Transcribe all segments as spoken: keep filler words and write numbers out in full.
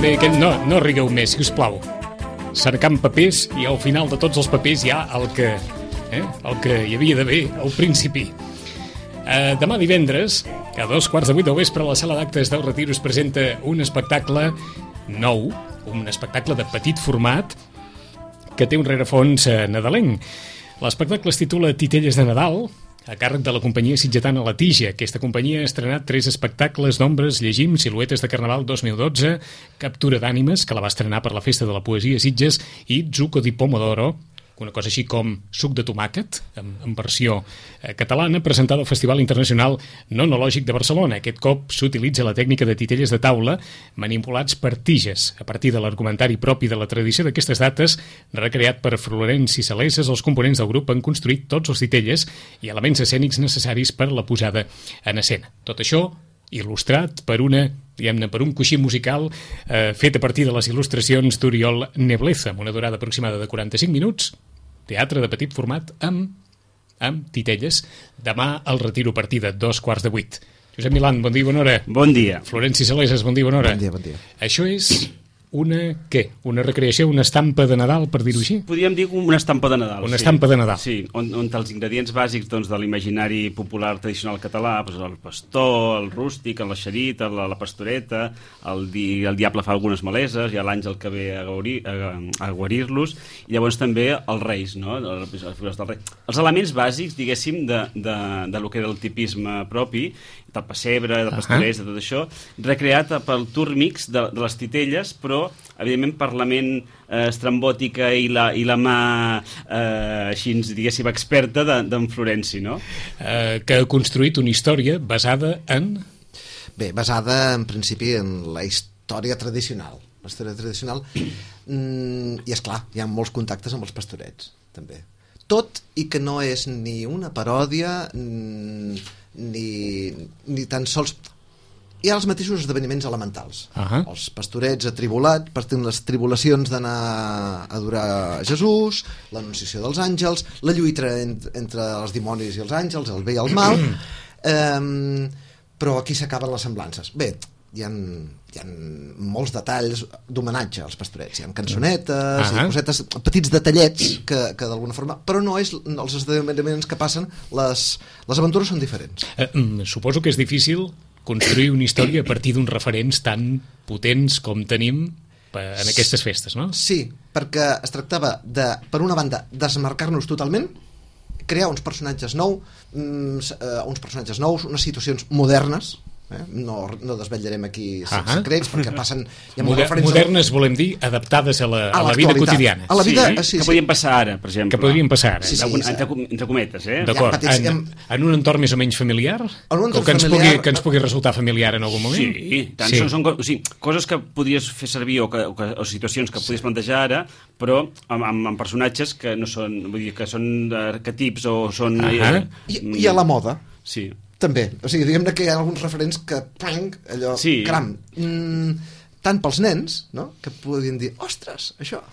també aquest... No, no rigueu més, si us plau. Cercant papers i al final de tots els papers hi ha el que, eh, el que hi havia d'haver al principi. Eh, demà divendres, a dos quarts de vuit del vespre, a la sala d'actes del Retiro es presenta un espectacle nou, un espectacle de petit format que té un rerefons eh, nadalenc. L'espectacle es titula Titelles de Nadal, a càrrec de la companyia sitgetana La Tija. Aquesta companyia ha estrenat tres espectacles d'ombres, llegim Siluetes de Carnaval dos mil dotze, Captura d'ànimes, que la va estrenar per la Festa de la Poesia Sitges, i Zucco di Pomodoro, una cosa així com suc de tomàquet, en, en versió eh, catalana, presentada al Festival Internacional Nonològic de Barcelona. Aquest cop s'utilitza la tècnica de titelles de taula manipulats per tiges. A partir de l'argumentari propi de la tradició d'aquestes dates, recreat per Florenci Saleses, els components del grup han construït tots els titelles i elements escènics necessaris per la posada en escena. Tot això il·lustrat per una, diguem-ne, per un coixí musical eh, fet a partir de les il·lustracions d'Oriol Nebleza, amb una durada aproximada de quaranta-cinc minuts, teatre de petit format amb, amb titelles. Demà al Retiro a partir de dos quarts de vuit. Josep Milán, bon dia i bona hora. Bon dia. Florenci Saleses, bon dia i bona hora. Bon dia, bon dia. Això és una, què? Una recreació, una estampa de Nadal, per dir-ho així? Podríem dir una estampa de Nadal. Una sí. estampa de Nadal. Sí, on, on els ingredients bàsics doncs, de l'imaginari popular tradicional català, doncs, el pastor, el rústic, la xerita, la, la pastoreta, el, di, el diable fa algunes maleses, hi ha l'àngel que ve a, guarir, a, a guarir-los, i llavors també els reis, no? Les figures del rei. Els elements bàsics, diguéssim, de, de, de lo que era el tipisme propi, del pessebre, de pastorets, uh -huh. de tot això, recreat pel tour mix de, de les titelles, però evidentment per la ment eh, estrambòtica i la, i la mà eh, així, diguéssim, experta d'en Florenci, no? Eh, que ha construït una història basada en... Bé, basada en principi en la història tradicional. La història tradicional mm, i és clar, hi ha molts contactes amb els pastorets, també. Tot i que no és ni una paròdia mm, ni, ni tan sols... Hi ha els mateixos esdeveniments elementals. Uh -huh. Els pastorets atribulats, partint les tribulacions d'anar a adorar Jesús, l'anunciació dels àngels, la lluita en, entre els dimonis i els àngels, el bé i el mal, um, però aquí s'acaben les semblances. Bé, hi ha, hi ha molts detalls d'homenatge als pastorets. Hi ha cançonetes, uh -huh. i cosetes, petits detallets que, que d'alguna forma... Però no és els esdeveniments que passen, les, les aventures són diferents. Eh, suposo que és difícil construir una història a partir d'uns referents tan potents com tenim en aquestes festes, no? Sí, perquè es tractava de, per una banda, desmarcar-nos totalment, crear uns personatges nous, uns personatges nous, unes situacions modernes, eh? no, no desvetllarem aquí uh -huh. secrets perquè passen... Hi ha Moder modernes, volem dir, adaptades a la, a la vida quotidiana. A la vida, sí, sí, sí, que podrien passar ara, per exemple. Que podrien passar ara. Sí, sí, entre, entre cometes, eh? D'acord. En, en un entorn més o menys familiar? En un entorn que, ens familiar... pugui, que ens pugui resultar familiar en algun moment? Sí, tant sí. Són, són o sigui, coses que podries fer servir o, que, o, que, o situacions que podries plantejar ara, però amb, amb, amb personatges que no són, vull dir, que són arquetips o són... Uh -huh. eh, I, I a la moda. Sí. També, o sigui, diguem-ne que hi ha alguns referents que, pang, allò, sí. caram, mm, tant pels nens, no?, que podien dir, ostres, això...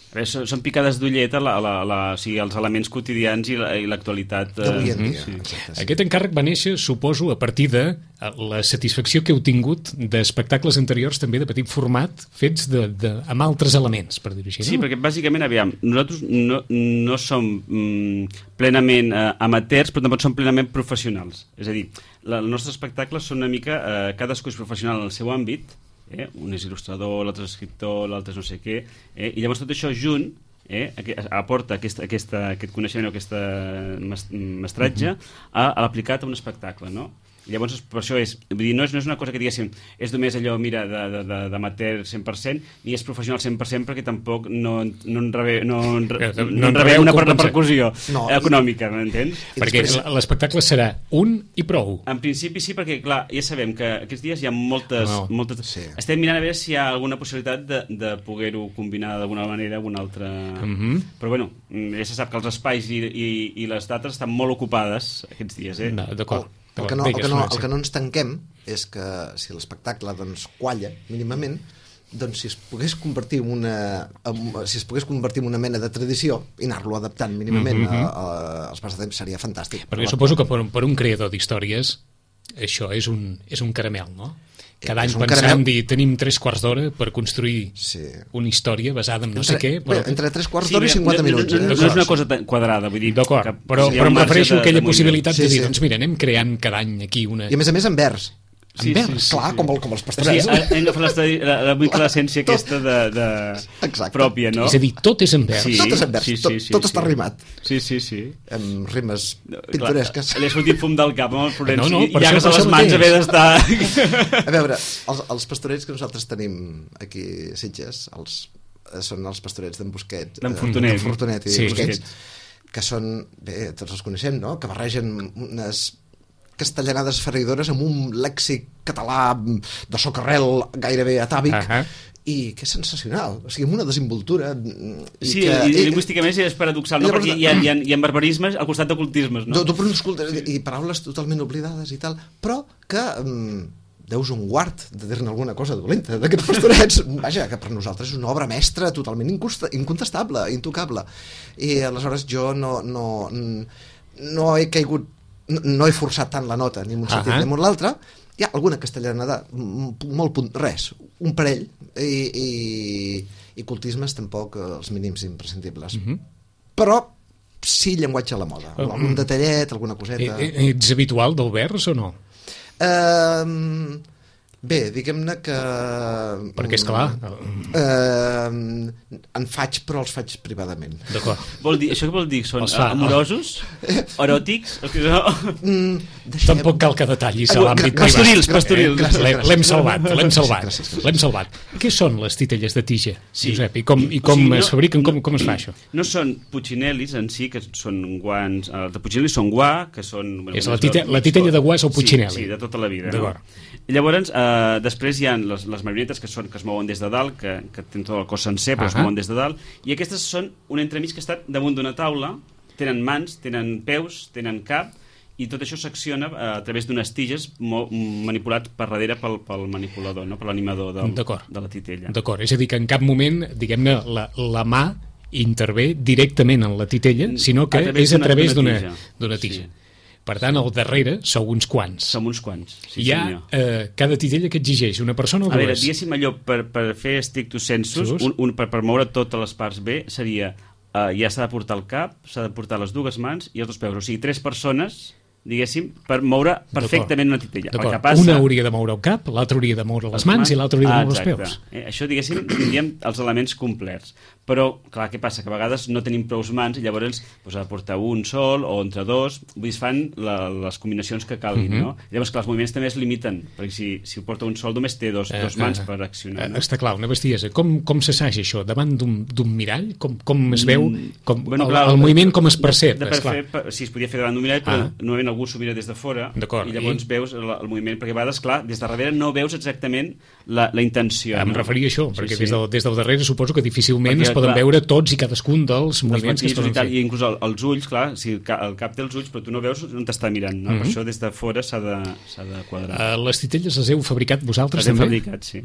A veure, són, són picades d'ullet a la, la, la, o sigui, els elements quotidians i l'actualitat. La, d'avui en dia. Sí. Exacte, sí. Aquest encàrrec va néixer, suposo, a partir de la satisfacció que heu tingut d'espectacles anteriors també de petit format, fets de, de, amb altres elements, per dir-ho així, no? Sí, perquè bàsicament, aviam, nosaltres no, no som mm, plenament eh, amateurs, però tampoc som plenament professionals. És a dir, la, els nostres espectacles són una mica, eh, cadascú és professional en el seu àmbit, eh? Un és il·lustrador, l'altre és escriptor, l'altre és no sé què, eh? I llavors tot això junt eh? aporta aquesta, aquesta, aquest coneixement o aquest mestratge uh-huh. a, a l'aplicat a un espectacle, no? Llavors, per això és, vull dir, no és, no és una cosa que diguéssim, és només allò, mira, d'amateur cent per cent, ni és professional cent per cent, perquè tampoc no, no en rebé, no en, no, no en rebé una repercussió no, econòmica, m'entens? Perquè l'espectacle serà un i prou. En principi sí, perquè, clar, ja sabem que aquests dies hi ha moltes... No, moltes sí. Estem mirant a veure si hi ha alguna possibilitat de, de poder-ho combinar d'alguna manera, alguna altra... Uh-huh. Però, bueno, ja se sap que els espais i, i, i les dates estan molt ocupades aquests dies, eh? No, d'acord. El que, no, el, que no, el que no ens tanquem és que si l'espectacle doncs, qualla mínimament, doncs si es pogués convertir en una, en, si es pogués convertir en una mena de tradició i anar-lo adaptant mínimament mm-hmm. a, a, als passatemps seria fantàstic. Perquè suposo que per, per un creador d'històries això és un, és un caramel, no? cada any És un pensant caramel. dir tenim tres quarts d'hora per construir Sí. una història basada en no Entre, sé què, però... bé, entre tres quarts Sí, d'hora i mira, cinquanta no, minuts. no, no, eh? no és una cosa tan quadrada, vull dir... D'acord, que però, hi ha però un em marge refereixo de- a aquella de moviment. possibilitat Sí, de dir, sí. doncs mira, anem creant cada any aquí una... I a més a més en vers. Sí, en vers, sí, sí, clar, sí. Com, el, com els Sí, pastorets. hem d'agafar l'estadi- la, la, la, l'essència Tot. aquesta de, de Exacte. pròpia, no? És a dir, tot és en vers. Sí, Tot és en vers, sí, tot, sí, sí, tot sí. està rimat. Sí, sí, sí. Amb rimes No, pintoresques. Clar, li ha sortit fum del cap amb el Florenci No, no, per i ja això- que per se les això mans mateix. haver d'estar... A veure, els, els pastorets que nosaltres tenim aquí a Sitges, els, eh, són els pastorets d'en Busquets. D'en eh, Fortunet. d'en Fortunet i Sí. Busquets, que són, bé, tots els coneixem, no?, que barregen unes castellanades ferridores amb un lèxic català de socarrel gairebé atàvic, Ahà. i que és sensacional, o sigui, amb una desenvoltura i Sí, que, i, i lingüísticament és paradoxal, no? I llavors- Perquè hi ha, hi, ha, hi ha barbarismes al costat d'ocultismes, no? no? Tu, tu escoltes, i, i paraules totalment oblidades i tal, però que um, deus un guard de dir-ne alguna cosa dolenta d'aquests pastorets. Vaja, que per nosaltres és una obra mestra totalment incosta, incontestable, intocable. I aleshores jo no, no, no he caigut, no, no he forçat tant la nota, ni en un sentit Ahà. ni en l'altre. Hi ha alguna castellanada, m- molt punt, res, un parell, i, i, i cultismes tampoc eh, els mínims imprescindibles. Mhm. Però sí llenguatge a la moda, Uh, algun detallet, alguna Eh, coseta. eh, Ets habitual del vers o no? Uh, bé, diguem-ne que... Perquè, esclar... Uh, en faig, però els faig privadament. D'acord. Vol dir, això què vol dir? Són Els fa- amorosos? Eròtics? Els que són... Mm, deixem... Tampoc cal que detallis a Ah, l'àmbit gràcies, privat. pastorils, pastorils. gràcies, L'hem- gràcies. L'hem salvat, l'hem salvat. Gràcies, gràcies. L'hem salvat. Què són les titelles de tija, Sí. Josep? I com, i com O sigui, no- es fabriquen? Com, com es fa això? No són puccinellis en si, que són guants... Els de puccinellis són guà, que són... És la tite- la titella de guà és el puccinelli. Sí, sí, de tota la vida. D'acord. No? I llavors, eh, després hi ha les, les marionetes que, són, que es mouen des de dalt, que, que tenen tot el cos sencer, però es Ahà. mouen des de dalt, i aquestes són un entremig que està damunt d'una taula, tenen mans, tenen peus, tenen cap, i tot això s'acciona eh, a través d'unes tiges mo- manipulat per darrere pel, pel manipulador, no? Per l'animador del, D'acord. de la titella. D'acord, és a dir, que en cap moment, diguem-ne, la, la mà intervé directament en la titella, sinó que A través és a d'una- través d'una d'una tija. d'una tija. Sí. Per tant, al darrere sou uns quants. Som uns quants. Sí, Hi ha senyor. eh, cada titella que exigeix una persona o A veure, dues? diguéssim allò, per, per fer strictus sensus, Sus. un, un, per, per moure totes les parts bé, seria, uh, ja s'ha de portar el cap, s'ha de portar les dues mans i els dos peus. O sigui, tres persones, diguéssim, per moure perfectament una titella. El D'acord. que passa... Una hauria de moure el cap, l'altra hauria de moure les mans i l'altra hauria de Ah, moure els exacte. peus. Eh, això, diguéssim, tindríem els elements complets. Però, clar, què passa? Que a vegades no tenim prou mans i llavors doncs, ha de portar un sol o entre dos. Vull dir, es fan la, les combinacions que calguin, Mhm. no? Llavors, clar, els moviments també es limiten, perquè si, si ho porta un sol només té dos, Eh, dos mans eh, per accionar. Eh, No? Està clar, una bestiesa. Com, com s'assaja això? Davant d'un d'un mirall? Com, com es veu? Com, Bueno, el, clar, el moviment com es percep? De, de per esclar. fer, per, si es podia fer davant d'un mirall, però Ah. normalment algú s'ho mira des de fora D'acord, i llavors i? veus el, el moviment, perquè a vegades, clar, des de darrere no veus exactament la, la intenció. Em no? referia a això, Sí, perquè sí. Des, del, des del darrere suposo que difícilment Perquè, es poden clar, veure tots i cadascun dels dels moviments que es matisos poden i tal, fer. i inclús el, els ulls, clar, si el, ca- el cap té els ulls però tu no veus on t'està mirant, no? Mhm. Per això des de fora s'ha de, s'ha de quadrar. Uh, les titelles les heu fabricat vosaltres Les hem també? fabricat, sí.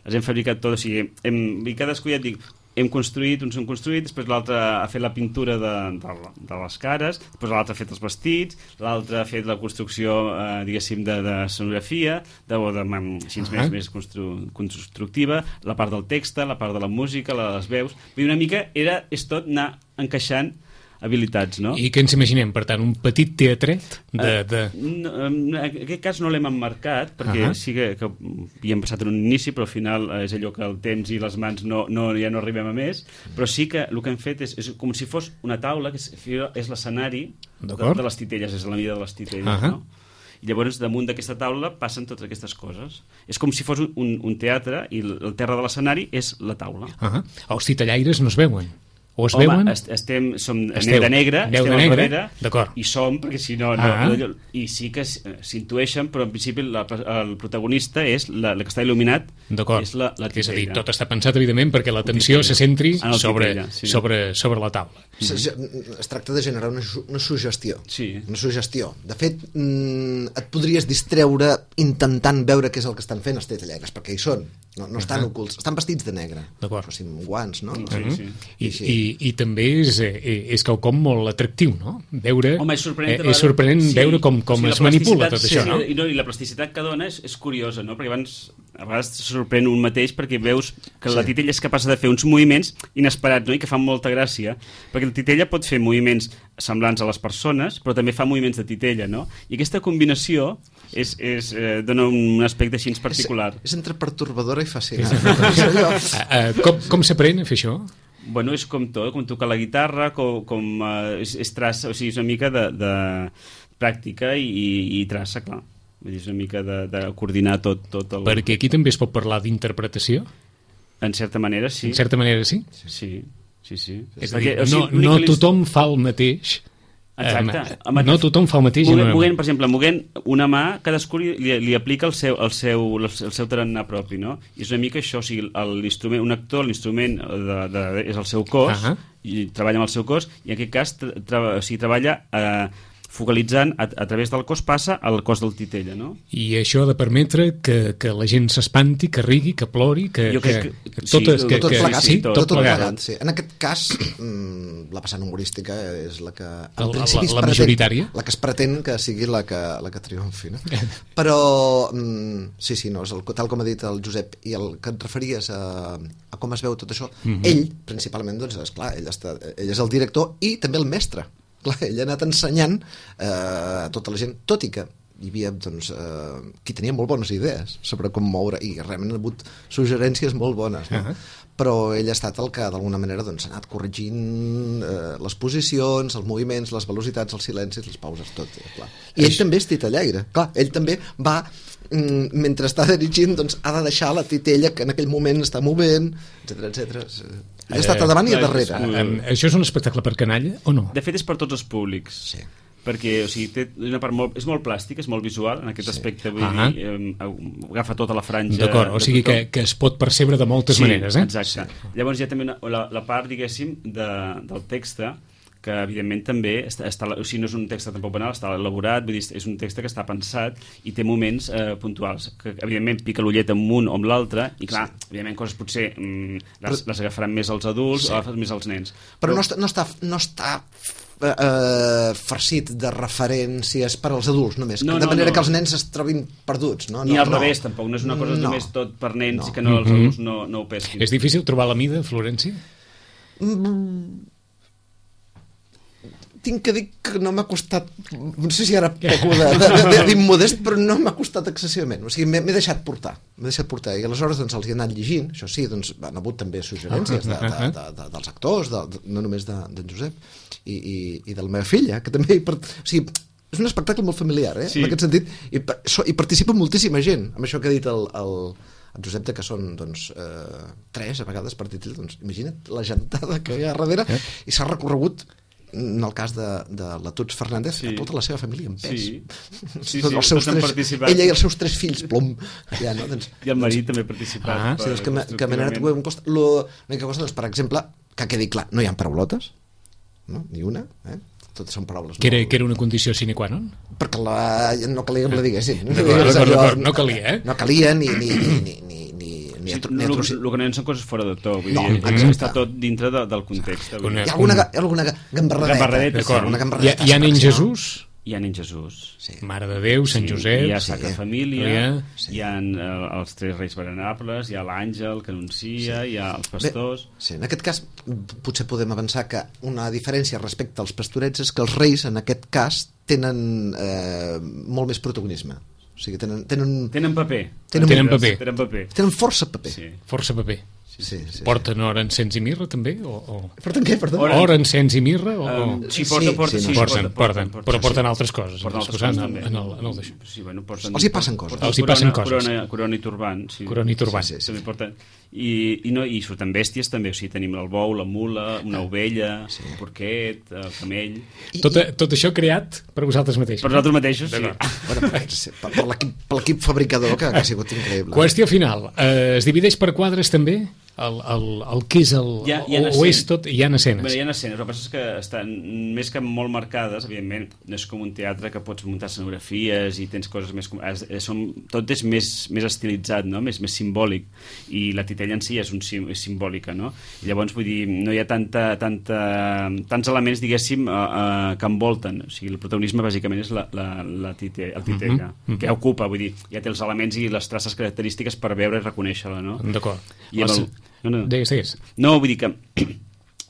Les hem fabricat tot, o sigui, hem, i cadascú ja et dic, hem construït, uns hem construït, després l'altre ha fet la pintura de, de, de les cares, després l'altre ha fet els vestits, l'altre ha fet la construcció, eh, diguéssim, de, de sonografia, de, o de, així Ah. més, més constru, constructiva, la part del text, la part de la música, la de les veus. Vull dir, una mica era, és tot anar encaixant habilitats, no? I què ens imaginem? Per tant, un petit teatret de... de... No, en aquest cas no l'hem emmarcat perquè Ahà. sí que, que hi hem passat en un inici, però al final eh, és allò que el temps i les mans no, no, ja no arribem a més, però sí que el que hem fet és, és com si fos una taula, que és, és l'escenari de, D'acord. de les titelles, és la mida de les titelles, Ahà. no? I llavors damunt d'aquesta taula passen totes aquestes coses. És com si fos un, un, un teatre i el, el terra de l'escenari és la taula. Uh -huh. Els titellaires no es veuen? O es Home, veuen? est estem, som, Esteu- anem de negre, aneu estem de al negre, darrere, d'acord. i som, perquè si no... no Ah. allò- I sí que s- s'intueixen, però en principi la, el protagonista és la, la que està il·luminat, D'acord. és la, la És a dir, titella. tot està pensat, evidentment, perquè l'atenció se centri En el sobre, titella, sí. sobre, sobre la taula. Es, es tracta de generar una, su- una suggestió. Sí. Una suggestió. De fet, mm, et podries distreure intentant veure què és el que estan fent els titellaires, perquè hi són. No, no estan Ahà. ocults. Estan vestits de negre. D'acord. O sigui, amb guants, no? Sí, sí. I, Sí, i, i també és, és quelcom molt atractiu, no? Veure, Home, és sorprenent, eh, és sorprenent sí, veure com, com o sigui, es manipula tot sí, això, no? I, no? I la plasticitat que dona és, és curiosa, no? Perquè abans, a vegades sorprèn un mateix perquè veus que la titella és capaç de fer uns moviments inesperats, no? I que fan molta gràcia, perquè la titella pot fer moviments semblants a les persones, però també fa moviments de titella, no? I aquesta combinació és, és, eh, dona un aspecte així particular. És, és entre pertorbadora i fascinant. uh, uh, com com s'aprèn a fer això? Bueno, és com tot, com tocar la guitarra, com, com uh, és, és traça, o sigui, és una mica de, de pràctica i, i, i traça, clar. Vull dir, és una mica de, de coordinar tot, tot el... Perquè aquí també es pot parlar d'interpretació? En certa manera, sí. En certa manera, sí? Sí, sí, sí. És a dir, no, no tothom fa el mateix... Exacte. Um, no tothom fa el mateix. Moguent, moguent, per exemple, moguent una mà, cadascú li, li aplica el seu, el seu, el seu tarannà propi, no? I és una mica això, o sigui, l'instrument, un actor, l'instrument de, de, és el seu cos, uh -huh. i treballa amb el seu cos, i en aquest cas tra, tra, o sigui, treballa eh, focalitzant a, a través del cos, passa al cos del titella, no? I això ha de permetre que, que la gent s'espanti, que rigui, que plori, que... Jo crec que, que, que totes, sí, que, tot que, plegat, sí, tot, tot, tot plegat. plegat sí. En aquest cas, mmm, la passant humorística és la que... En La, principi la, la pretén, majoritària? La que es pretén que sigui la que, la que triomfi, no? Però, mmm, sí, sí, no, és el, tal com ha dit el Josep, i el que et referies a, a com es veu tot això, mm -hmm. ell, principalment, doncs, esclar, ell, està, ell és el director i també el mestre. Clar, ell ha anat ensenyant eh, a tota la gent, tot i que hi havia doncs, eh, qui tenia molt bones idees sobre com moure, i realment ha hagut suggerències molt bones, no? Uh -huh. Però ell ha estat el que d'alguna manera doncs, ha anat corregint eh, les posicions, els moviments, les velocitats, els silencis, les pauses, tot, eh, clar. I ell també és titellaire, clar, ell també va mm, mentre està dirigint doncs, ha de deixar la titella que en aquell moment està movent, etcètera, etcètera. Ha estat a davant i a darrere. Um, això és un espectacle per canalla o no? De fet, és per tots els públics. Sí. Perquè, o sigui, té una part molt, és molt plàstic, és molt visual, en aquest sí. aspecte, vull uh-huh. dir, eh, agafa tota la franja... D'acord, o sigui que, que es pot percebre de moltes sí, maneres, eh? Exacte. Sí. Llavors hi ha també una, la, la part, diguéssim, de, del text, que evidentment també està, està, o sigui, no és un text tampoc banal, està elaborat, vull dir, és un text que està pensat i té moments eh, puntuals, que evidentment pica l'ullet amb un o amb l'altre, i clar, sí. evidentment coses potser mm, les, les agafaran més els adults sí. o agafaran més els nens. Però, Però no està, no està, no està eh, farcit de referències per als adults només, no, de no, manera no. que els nens es trobin perduts, no? Ni no, al no. revés, tampoc, no és una cosa no. només tot per nens no. i que no, els mm-hmm. adults no, no ho pesquin. És difícil trobar la mida, Florència? Mm, tinc que dir que no m'ha costat, no sé si ara peco d'immodest, però no m'ha costat excessivament, o sigui, m'he deixat portar m'he deixat portar, i aleshores doncs, els hi he anat llegint, això sí, doncs han hagut també suggerències de, de, de, de, dels actors, de, de, no només d'en de, Josep i, i, i de la meva filla, que també o sigui, és un espectacle molt familiar, eh? Sí. En aquest sentit, i, i participa moltíssima gent, amb això que ha dit el, el el Josep, que són doncs, eh, tres a vegades per títol, doncs imagina't la gentada que hi ha darrere, eh? I s'ha recorregut en el cas de, de la Tuts Fernández, sí. a tota la seva família en pes. Sí, sí, doncs, els seus sí tres, ella i els seus tres fills, plom. Ja, no? doncs, I el marit doncs, també ha participat. Ah, sí, doncs, que, que m'he anat un cost. L'única cosa, doncs, per exemple, que quedi clar, no hi ha paraulotes, no? Ni una, eh? Totes són paraules. Que era, que era una condició sine qua non? Perquè la, no calia que la diguessin. D'acord, d'acord, d'acord, no calia, eh? No calia ni... ni, ni, ni, ni Sí, el, el que no hi ha són coses fora de to, vull no, dir, exacte. està tot dintre de, del context. Una, hi ha alguna, alguna gambarradeta. gambarradeta sí, alguna gambarradeta. Hi ha, hi ha nen Jesús? Hi ha nen Jesús. Sí. Mare de Déu, Sant sí, Josep... Hi ha Sacra sí. Família, sí. hi ha uh, els tres reis venerables, hi ha l'àngel que anuncia, sí. hi ha els pastors... Bé, sí, en aquest cas potser podem avançar que una diferència respecte als pastorets és que els reis, en aquest cas, tenen eh, molt més protagonisme. O sigui, tenen... Tenen, tenen paper. Tenen, tenen paper. Tenen paper. Tenen força paper. Sí. Força paper. Sí, sí, sí. Porten or, encens i mirra, també? O, o... Porten què? Porten... Or, or encens i mirra? O... Um, sí, porta, porta, sí, sí, porten, porten, porten, però porten sí. altres coses. Porten altres coses coses, en, també. En el, en el d'això. Sí, bueno, porten, els hi passen coses. Els hi passen corona, coses. Corona, corona i turbant. Sí. Corona i turbant. Sí, sí, sí. També porten... I, i, no, i surten bèsties també, o sigui, tenim el bou, la mula, una ovella, sí. un porquet, el camell... I, tot, tot això creat per vosaltres mateixos. Per nosaltres mateixos, sí. Bueno, per, per l'equip fabricador, que, que ha sigut increïble. Qüestió final. Eh, es divideix per quadres també? el, el, el que és el... Hi ha, hi ha o, o és tot, hi ha escenes. Bé, hi ha escenes, el que passa és que estan més que molt marcades, evidentment, no és com un teatre que pots muntar escenografies i tens coses més... Som, tot és més, més estilitzat, no? més, més simbòlic, i la titella en si és, un, és simbòlica, no? I llavors, vull dir, no hi ha tanta, tanta, tants elements, diguéssim, uh, uh, que envolten. O sigui, el protagonisme, bàsicament, és la, la, la tite, el titella, uh -huh. que ja ocupa, vull dir, ja té els elements i les traces característiques per veure i reconèixer-la, no? D'acord. I amb el... No, no. Digues, digues. No, vull dir que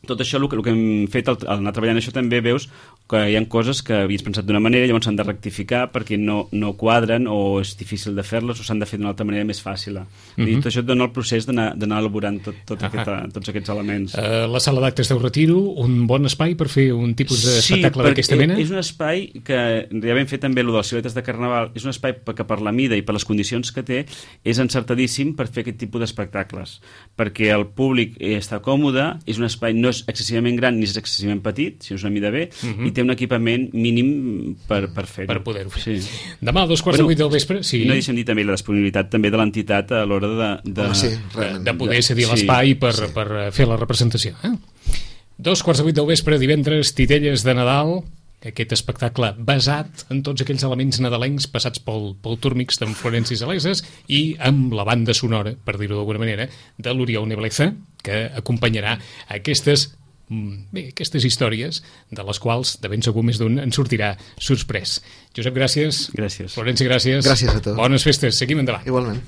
tot això, el que, el que hem fet al, al anar treballant això, també veus que hi ha coses que havies pensat d'una manera i llavors s'han de rectificar perquè no, no quadren o és difícil de fer-les o s'han de fer d'una altra manera més fàcil. Uh -huh. I tot això et dona el procés d'anar elaborant tot, tot uh -huh. aquest, tots aquests elements. Uh, la sala d'actes del Retiro, un bon espai per fer un tipus d'espectacle sí, d'aquesta mena? Sí, és un espai que ja vam fer també, allò de les siluetes de Carnaval, és un espai que per la mida i per les condicions que té és encertadíssim per fer aquest tipus d'espectacles, perquè el públic està còmode, és un espai, no és excessivament gran ni és excessivament petit, sinó és una mida bé, uh -huh. i té un equipament mínim per, per fer-ho. Per poder-ho fer. Sí. Demà a dos quarts bueno, de vuit del vespre... Sí. No deixem dir també la disponibilitat també de l'entitat a l'hora de, de, Home, sí, de, de poder cedir sí, l'espai per, sí. per fer la representació. Eh? Dos quarts de vuit del vespre, divendres, Titelles de Nadal, aquest espectacle basat en tots aquells elements nadalencs passats pel, pel Túrmix d'en Florenci Saleses i amb la banda sonora, per dir-ho d'alguna manera, de l'Oriol Nebleza, que acompanyarà aquestes bé, aquestes històries de les quals de ben segur més d'un en sortirà sorprès. Josep, gràcies. Gràcies. Florenci, gràcies. Gràcies a tu. Bones festes. Seguim endavant. Igualment.